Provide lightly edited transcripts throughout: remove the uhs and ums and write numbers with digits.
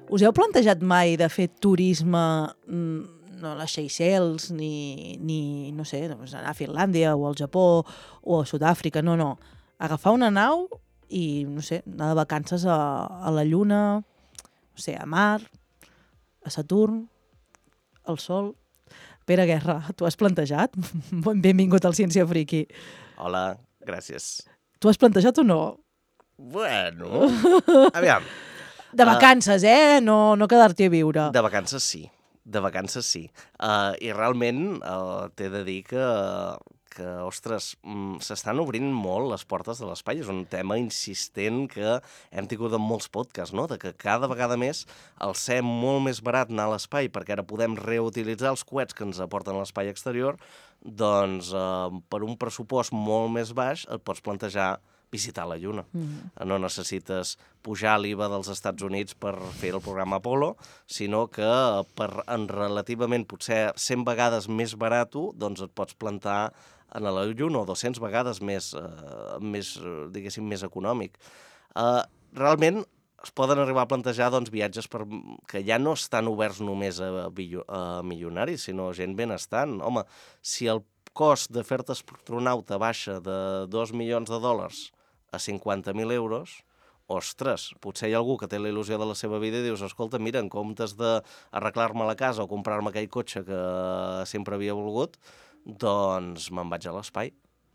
Us heu plantejat mai de fer turisme no a les Seychelles, ni no sé, doncs anar a Finlàndia o al Japó o a Sud-àfrica, no. Agafar una nau i, no sé, anar de vacances a la Lluna, no sé, a Mar, a Saturn, al Sol. Pere Guerra, t'ho has plantejat? Benvingut al Ciència Friki. Hola, gràcies. T'ho has plantejat o no? Bueno, aviam. De vacances, No quedar-t'hi a viure. De vacances sí. I realment t'he de dir que ostres, s'estan obrint molt les portes de l'espai. És un tema insistent que hem tingut en molts podcasts, no? De que cada vegada més el ser molt més barat anar a l'espai, perquè ara podem reutilitzar els coets que ens aporten a l'espai exterior, doncs per un pressupost molt més baix et pots plantejar visitar la Lluna. No necessites pujar l'IVA dels Estats Units per fer el programa Apollo, sinó que en relativament potser 100 vegades més barato, doncs et pots plantar a la Lluna, o 200 vegades més diguéssim, més econòmic. Realment es poden arribar a plantejar viatges que ja no estan oberts només a milionaris, sinó gent benestant. Home, si el cost de fer-te astronauta baixa de $2 milions a 50.000 euros, ostres, potser hi ha algú que té la il·lusió de la seva vida i dius, escolta, mira, en comptes d'arreglar-me la casa o comprar-me aquell cotxe que sempre havia volgut, doncs me'n vaig a l'espai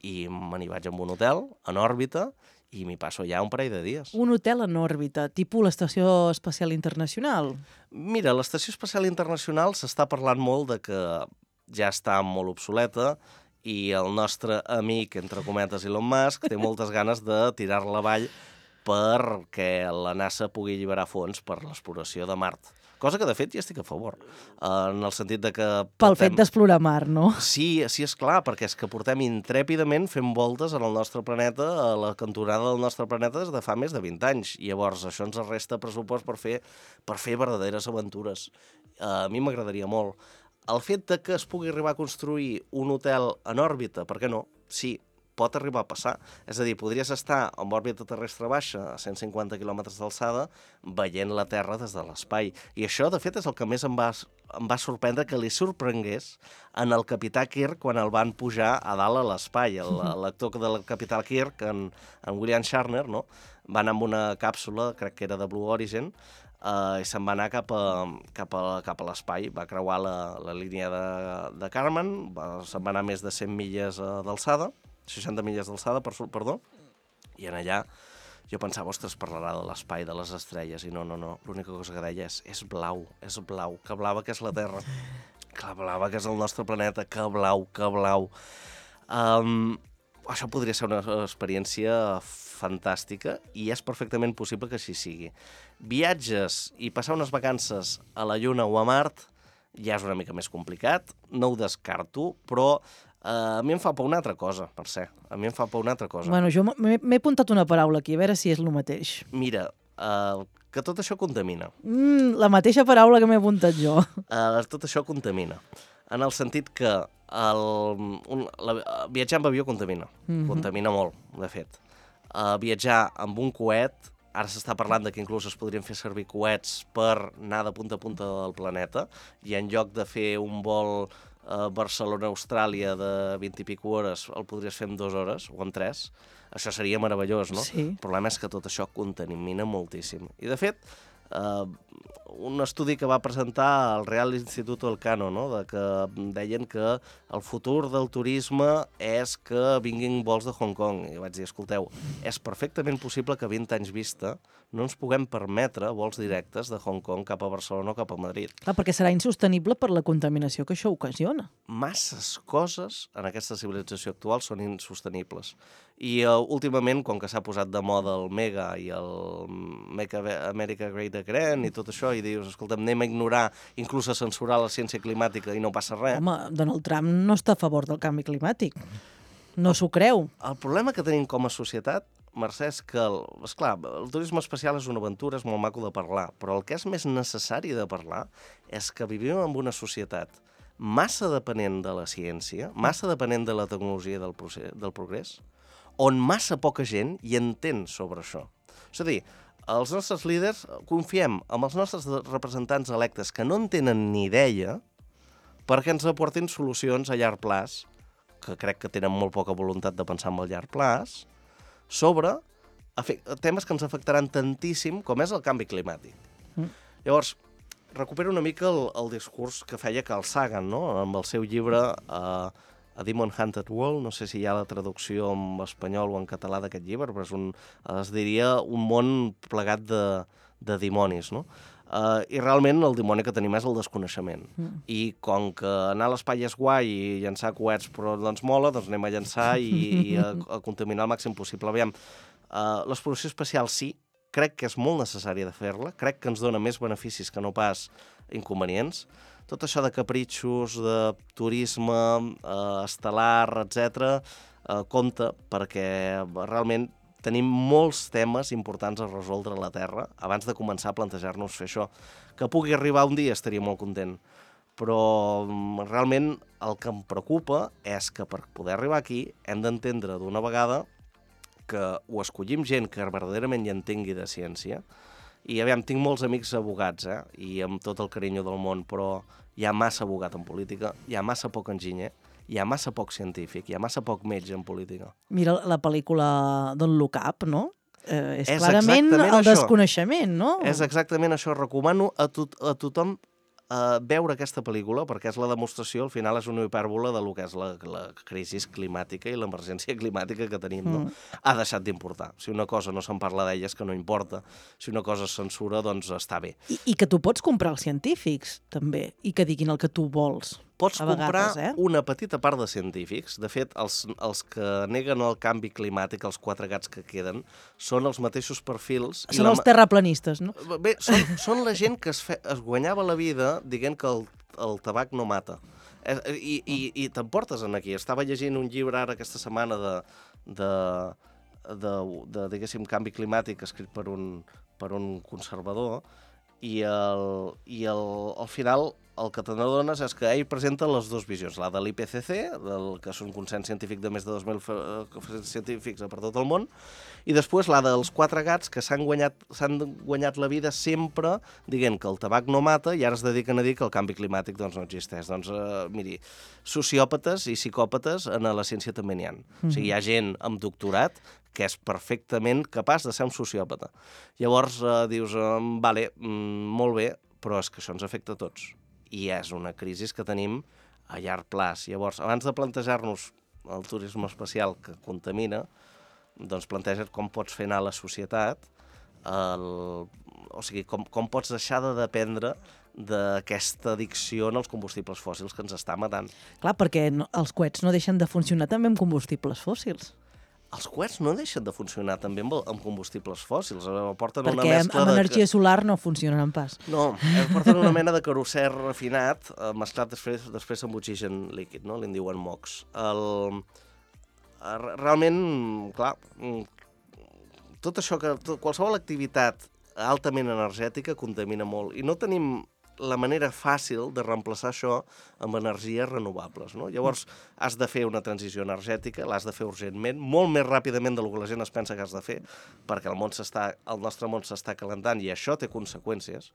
i me n'hi vaig amb un hotel en òrbita i m'hi passo ja un parell de dies. Un hotel en òrbita, tipus l'Estació Espacial Internacional? Mira, l'Estació Espacial Internacional s'està parlant molt de que ja està molt obsoleta i el nostre amic, entre cometes, Elon Musk, té moltes ganes de tirar-la avall perquè la NASA pugui alliberar fons per l'exploració de Mart. Cosa que, de fet, ja estic a favor. En el sentit de que... Pel fet d'explorar Mart, no? Sí, és clar, perquè és que portem intrèpidament fent voltes en el nostre planeta, a la cantonada del nostre planeta des de fa més de 20 anys. I llavors això ens resta pressupost per fer verdaderes aventures. A mi m'agradaria molt. El fet de que es pugui arribar a construir un hotel en òrbita, per què no? Sí, pot arribar a passar. És a dir, podries estar en òrbita terrestre baixa, a 150 quilòmetres d'alçada, veient la Terra des de l'espai. I això, de fet, és el que més em va sorprendre que li sorprengués en el capità Kirk quan el van pujar a dalt a l'espai. L'actor del capità Kirk, en William Shatner, no? Va anar amb una càpsula, crec que era de Blue Origin, i se'n va anar cap a l'espai, va creuar la línia de Kármán, se'n va anar més de 100 milles d'alçada, 60 milles d'alçada, perdó, i en allà jo pensava, ostres, parlarà de l'espai, de les estrelles, i no, l'única cosa que deia és blau, que blava que és la Terra, que blava que és el nostre planeta, que blau. Això podria ser una experiència fantàstica i és perfectament possible que així sigui. Viatges i passar unes vacances a la Lluna o a Mart ja és una mica més complicat, no ho descarto, però a mi em fa por una altra cosa, Mercè. Bueno, jo m'he apuntat una paraula aquí, a veure si és el mateix. Mira, que tot això contamina. La mateixa paraula que m'he apuntat jo. Tot això contamina. En el sentit que viatjar amb avió contamina. Contamina molt, de fet. Viatjar amb un coet, ara s'està parlant que inclús es podrien fer servir coets per anar de punta a punta del planeta, i en lloc de fer un vol Barcelona-Austràlia de 20 i pico hores, el podries fer en 2 hores o en 3. Això seria meravellós, no? Sí. El problema és que tot això contamina moltíssim. I, de fet, un estudi que va presentar el Real Instituto Elcano, no? Que deien que el futur del turisme és que vinguin vols de Hong Kong. I vaig dir, escolteu, és perfectament possible que a 20 anys vista no ens puguem permetre vols directes de Hong Kong cap a Barcelona o cap a Madrid. Clar, perquè serà insostenible per la contaminació que això ocasiona. Masses coses en aquesta civilització actual són insostenibles. I últimament, com que s'ha posat de moda el Mega i el Make America Great Again i tot això, i dius, escolta'm, anem a ignorar, inclús a censurar la ciència climàtica i no passa res. Home, Donald Trump no està a favor del canvi climàtic. No s'ho creu. El problema que tenim com a societat, Mercè, és que, esclar, el turisme espacial és una aventura, és molt maco de parlar, però el que és més necessari de parlar és que vivim en una societat massa depenent de la ciència, massa depenent de la tecnologia del progrés, on massa poca gent hi entén sobre això. És a dir, els nostres líders confiem en els nostres representants electes que no en tenen ni idea perquè ens aportin solucions a llarg plaç, que crec que tenen molt poca voluntat de pensar en el llarg plaç, sobre temes que ens afectaran tantíssim com és el canvi climàtic. Llavors, recupero una mica el discurs que feia Carl Sagan, no? Amb el seu llibre A Demon Hunted World, no sé si hi ha la traducció en espanyol o en català d'aquest llibre, però es diria un món plegat de dimonis, no? I realment el dimoni que tenim és el desconeixement. I com que anar a l'espai és guai i llançar coets però no ens mola, doncs anem a llançar i a contaminar el màxim possible. Aviam, l'exploració espacial sí, crec que és molt necessària de fer-la, crec que ens dona més beneficis que no pas inconvenients. Tot això de capritxos, de turisme estel·lar, etc., compte, perquè realment tenim molts temes importants a resoldre a la Terra abans de començar a plantejar-nos fer això. Que pugui arribar un dia estaria molt content, però realment el que em preocupa és que per poder arribar aquí hem d'entendre d'una vegada que ho escollim gent que verdaderament hi entengui de ciència. I aviam, tinc molts amics abogats, i amb tot el carinyo del món, però hi ha massa abogat en política, hi ha massa poc enginyer, hi ha massa poc científic, hi ha massa poc metge en política. Mira la pel·lícula Don't Look Up, no? És clarament el desconeixement, no? És exactament això. Recomano a tothom veure aquesta pel·lícula, perquè és la demostració, al final és una hipèrbola de lo que és la crisi climàtica i l'emergència climàtica que tenim. No? Ha deixat d'importar. Si una cosa no se'n parla d'ella és que no importa. Si una cosa es censura, doncs està bé. I que tu pots comprar els científics, també, i que diguin el que tu vols. Pots comprar una petita part de científics. De fet, els que neguen el canvi climàtic, els 4 gats que queden, són els mateixos perfils. Són els terraplanistes, no? Bé, són la gent que es guanyava la vida dient que el tabac no mata. I t'emportes aquí. Estava llegint un llibre ara aquesta setmana de diguéssim, canvi climàtic escrit per un conservador i al final el que te n'adones és que ell presenta les dues visions, la de l'IPCC, que és un consens científic de més de 2.000 científics per tot el món, i després la dels 4 gats que s'han guanyat la vida sempre dient que el tabac no mata i ara es dediquen a dir que el canvi climàtic doncs, no existeix. Doncs, miri, sociòpates i psicòpates en la ciència també n'hi ha. O sigui, hi ha gent amb doctorat que és perfectament capaç de ser un sociòpata. Llavors dius, vale, molt bé, però és que això ens afecta a tots. I és una crisi que tenim a llarg plaç. Llavors, abans de plantejar-nos el turisme espacial que contamina, doncs planteja't com pots fer anar la societat, o sigui, com pots deixar de dependre d'aquesta addicció als combustibles fòssils que ens està matant. Clar, perquè els coets no deixen de funcionar també amb combustibles fòssils. Els coets no deixen de funcionar també amb combustibles fòssils. Porten una perquè mescla amb energia solar no funcionen pas. No, porten una mena de carosser refinat, mesclat després amb oxigen líquid, no? Li en diuen MOX. Realment, clar, tot això, qualsevol activitat altament energètica contamina molt. I no tenim la manera fàcil de reemplaçar això amb energies renovables. No? Llavors, has de fer una transició energètica, l'has de fer urgentment, molt més ràpidament del que la gent es pensa que has de fer, perquè el nostre món s'està calentant i això té conseqüències.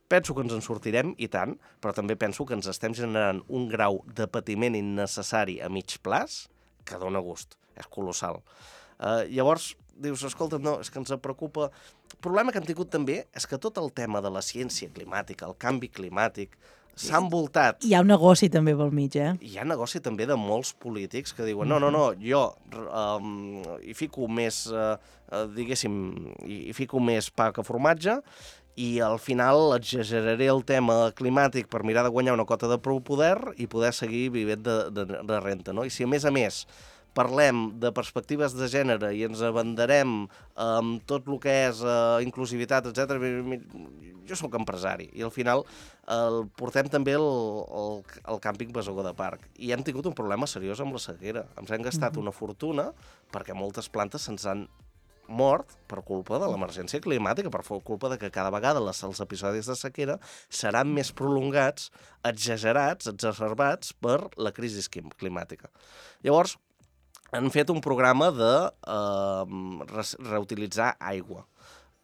Penso que ens en sortirem, i tant, però també penso que ens estem generant un grau de patiment innecessari a mig plaç que dona gust. És colossal. Llavors, dius, escolta, no, és que ens preocupa. El problema que hem tingut també és que tot el tema de la ciència climàtica, el canvi climàtic, s'ha envoltat. Hi ha un negoci també pel mig, Hi ha negoci també de molts polítics que diuen, no, jo hi fico més, diguéssim, hi fico més pa que formatge i al final exageraré el tema climàtic per mirar de guanyar una cota de prou poder i poder seguir vivint de renta, no? I si a més parlem de perspectives de gènere i ens abanderem amb tot el que és inclusivitat, etc. Jo sóc empresari i al final portem també el càmping Besogó de Parc i hem tingut un problema seriós amb la sequera. Ens hem gastat una fortuna perquè moltes plantes se'ns han mort per culpa de l'emergència climàtica, per culpa de que cada vegada els episodis de sequera seran més prolongats, exagerats, exacerbats per la crisi climàtica. Llavors, han fet un programa de reutilitzar aigua.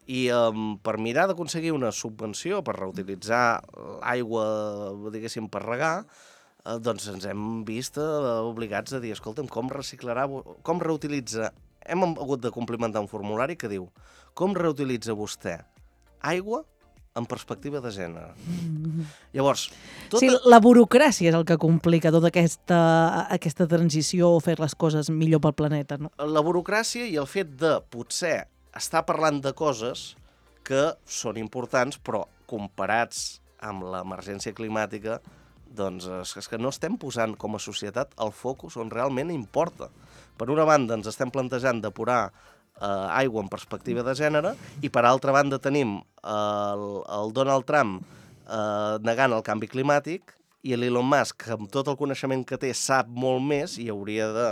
I per mirar d'aconseguir una subvenció per reutilitzar l'aigua, diguéssim, per regar, doncs ens hem vist obligats a dir, escolta'm, com reutilitza... Hem hagut de complimentar un formulari que diu com reutilitza vostè aigua en perspectiva de gènere. Llavors... Sí, la burocràcia és el que complica tota aquesta transició o fer les coses millor pel planeta, no? La burocràcia i el fet de potser estar parlant de coses que són importants, però comparats amb l'emergència climàtica, doncs és que no estem posant com a societat el focus on realment importa. Per una banda, ens estem plantejant depurar aigua en perspectiva de gènere i per altra banda tenim el Donald Trump negant el canvi climàtic i l'Elon Musk, amb tot el coneixement que té, sap molt més i hauria de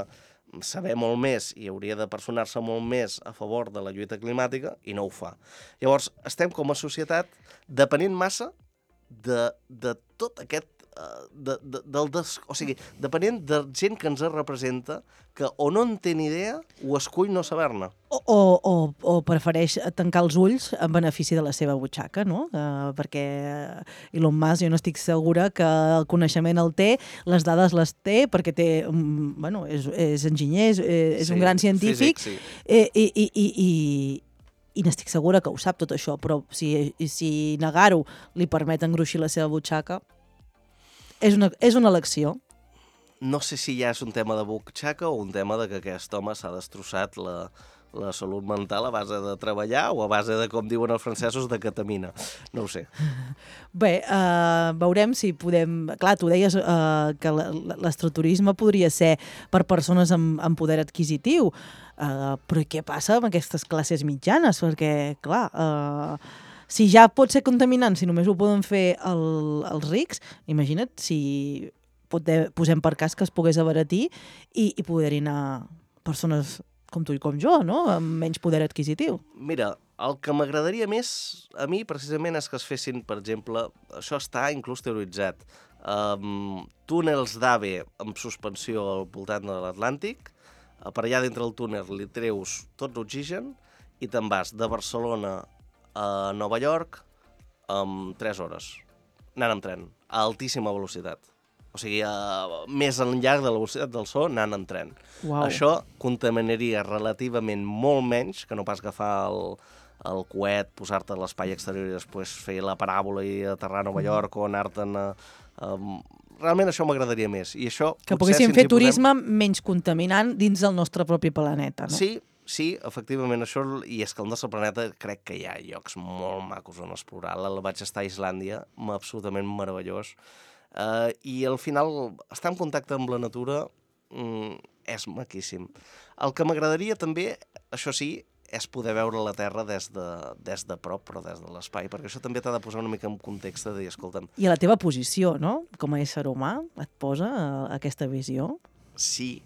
saber molt més i hauria de personar-se molt més a favor de la lluita climàtica i no ho fa. Llavors, estem com a societat depenent massa de tot aquest o sigui, depenent de gent que ens representa que o no en té ni idea o escull no saber-ne. O prefereix tancar els ulls en benefici de la seva butxaca, no? Perquè Elon Musk, jo no estic segura que el coneixement el té, les dades les té, perquè té, bueno, és enginyer, és un gran científic, físic, sí. I n'estic segura que ho sap tot això, però si negar-ho li permet engruixir la seva butxaca, és una elecció. No sé si ja és un tema de butxaca o un tema de que aquest home s'ha destrossat la salut mental a base de treballar o a base de, com diuen els francesos, de ketamina. No ho sé. Bé, veurem si podem... Clar, tu deies que l'estroturisme podria ser per persones amb poder adquisitiu, però què passa amb aquestes classes mitjanes? Perquè, clar... Si ja pot ser contaminant, si només ho poden fer els rics, imagina't si posem per cas que es pogués abaratir i poder-hi anar persones com tu i com jo, no? Amb menys poder adquisitiu. Mira, el que m'agradaria més a mi precisament és que es fessin, per exemple, això està inclús teoritzat, túnels d'AVE amb suspensió al voltant de l'Atlàntic, per allà dintre el túnel li treus tot l'oxigen i te'n vas de Barcelona a Nova York en 3 hores, anant amb tren, a altíssima velocitat. O sigui, més enllà de la velocitat del so, anant en tren. Uau. Això contaminaria relativament molt menys que no pas agafar el coet, posar-te a l'espai exterior i després fer la paràbola i aterrar a Nova York o anar-te'n a... Realment això m'agradaria més. I això, que poguéssim fer turisme menys contaminant dins del nostre propi planeta, no? Sí, efectivament, això, i és que el nostre planeta crec que hi ha llocs molt macos on explorar. Vaig estar a Islàndia, absolutament meravellós, i al final estar en contacte amb la natura és maquíssim. El que m'agradaria també, això sí, és poder veure la Terra des de prop, però des de l'espai, perquè això també t'ha de posar una mica en context de dir, escolta'm... I a la teva posició, no?, com a ésser humà, et posa aquesta visió? Sí.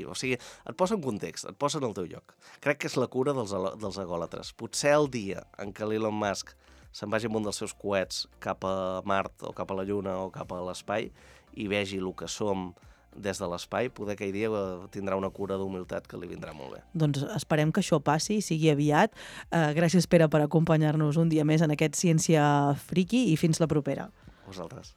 O sigui, et posa en context, et posa en el teu lloc. Crec que és la cura dels egòlatres. Potser el dia en què l'Elon Musk se'n vagi amb un dels seus coets cap a Mart o cap a la Lluna o cap a l'espai i vegi el que som des de l'espai, poder aquell dia tindrà una cura d'humilitat que li vindrà molt bé. Doncs esperem que això passi i sigui aviat. Gràcies, Pere, per acompanyar-nos un dia més en aquest Ciència Friki i fins la propera. Vosaltres.